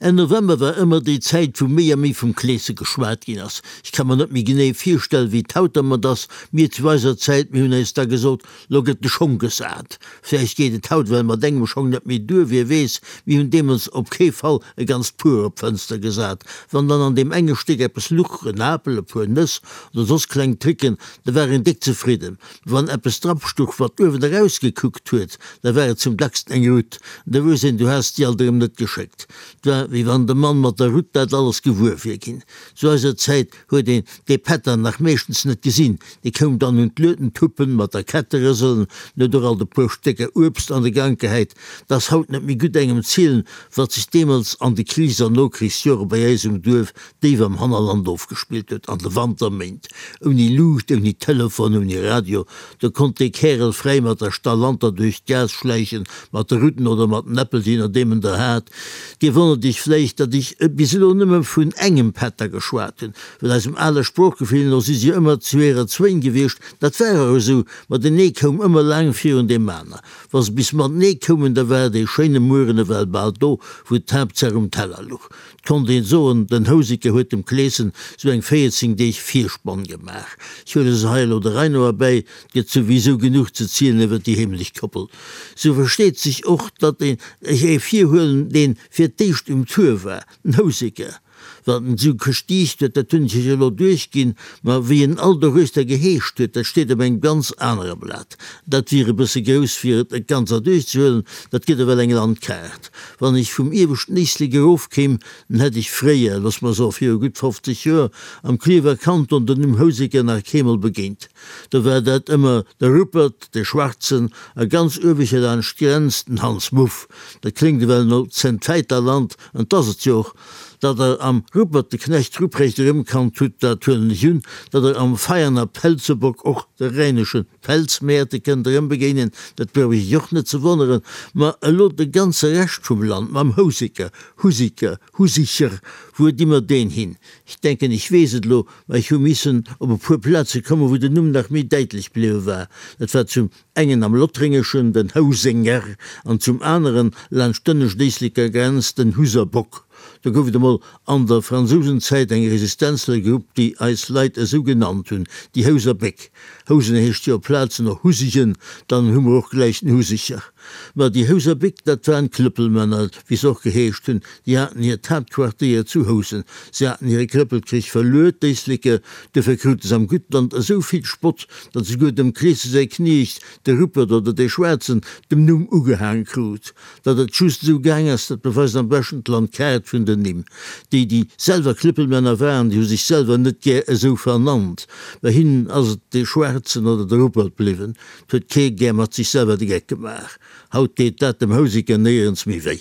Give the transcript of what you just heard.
Enn November war ëmmer déi Zäit, wou méi a méi vum Kleese geschwat ginn ass. Ech ka mer net méi genee virstellen, wéi et haut dermat ass. Mir zu eiser Zäit, mir hunn eis da gesot, Lo gëtt de Schong gesat. Vläicht geet et haut well mat engem Schong net méi duer, wie weess. Mir hunn deemools op kee Fall e ganzt Puer op d'Fënster gesat. Wann dann an deem enge Stéck eppes luch, en Apel, e puer Nëss oder soss kleng Tricken, da war een déck zefridden. Wann eppes drapstuch, wat uewen erausgekuckt huet, da war et zum dacksten eng Rutt. Da wousst een, du has déi alt erëm net geschéckt. 't war, wéi wann de Mann mat der Rutt dat alles gewuer wier ginn. Zu eiser Zäit huet een dee Pätter nach meeschtens net gesinn. Dee koum dann un d'Luedentuppen mat der Kette rëselen, en huet och alt e puer Stécker Uebst an de Gank gehäit. 't ass haut net méi gutt engem zielen, wat sech deemools an de Krichs an Nokrichsjore bei eis um Duerf déif am Hannerland ofgespillt huet, an de Wanterméint, ouni Luucht, ouni Telefon, ouni Radio, do konnt dee Kärel fräi mat der Stallanter duerch d'Gaass schläichen, mat de Rutten oder mat den Äppel, je nodeem en der hat. Dir wonnert iech vläicht, datt ech bis elo nëmme vun engem Pätter geschwat hunn, well eisem ale Sproochgefill no si se jo ëmmer zweeër zwéin gewiescht. Dat war och esou, ma den ee koum ëmmer laang virun deem aner. Wa se bis matenee koumen, da war dee schéine Mueren ewell bal do, wou d'Haaptsaach um Teller luch. 't konnt een soen, den Houseker huet dem Kleeschen sou eng 14 Deeg Virspann gemaach. Ech huele se hei elo der Rei no erbäi, 't gëtt souwisou genuch ze zielen iwwer déi heemlech Koppel. Sou versteet sech och, datt een ech ee virhuelen, deen fir d'éischt um Tour war, den Houseker. Wat en sou gestiicht huet, dat hunn ech iech elo duerchginn, ma wéi en all doruechter geheescht huet, dat steet op engem ganz anere Blat. Dat wier e bësse grouss, fir et ganz erduerchzehuelen, dat gëtt ewell eng Landkaart. Wann ech vum ieweschten Éislek erofkéim, dann hätt ech fréier, looss mer soe viru gutt 50 Joer, am Klierfer Kanton den Numm Houseker nach keemol begéint. Do war dat ëmmer de Ruppert, de Schwarzen, a ganz ueweger laanscht d'Grenz den Hans Muff. Dat kléngt ewell no Zentväiterland, an 't ass et jo och. Datt Der am Ruppert de Knecht Ruprecht erëmkannt hutt, dat huelen ech un. Datt Der am Veianer Pelzebock och de rhänesche Pelzmäerte kënnt erëmbegéinen, dat brauch ech iech och net ze wonneren. Ma elo de ganze Rescht vum Land mam Houseker, Husiker, Husicher, wuer di mer deen hin? Ech denken, ech weess et elo, ma ech hu missen op e puer Plaze kommen, wou den Numm nach méi däitlech bliwwe war. Dat war zum engen am Lottréngeschen den Housenger an zum aneren laanscht d'ënnescht Éisleker Grenz den Huserbock. Do gouf et emol an der Fransousenzäit eng Resistenzlergrupp, déi eis Leit esou genannt hunn, déi Houser Béck. Housen heescht jo op Plazen och Husigen, dann hu mer och gläich den Husicher. Ma déi Houser Béck, dat waren d'Klëppelmänner, wéi se och geheescht hunn. Déi haten hiert Haaptquartéier zu Housen. Se haten hire Klëppelkrich verluer, d'Éisleker. Duerfir krute se am Guttland esou vill Spott, datt esouguer dem Kleese säi Kniecht, de Ruppert oder dee Schwaarzen, dem Numm ugehaang krut. Datt et just esou gaang ass, dat beweist am beschten d'Landkaart vun den Nimm. Déi, déi selwer Klëppelmänner waren, déi hu sech selwer net gär esou vernannt. Bei hinnen ass et dee Schwaarzen oder de Ruppert bliwwen. 't huet kee gär mat sech selwer de Geck gemaach. Haut deet dat dem Houseker néierens méi wéi.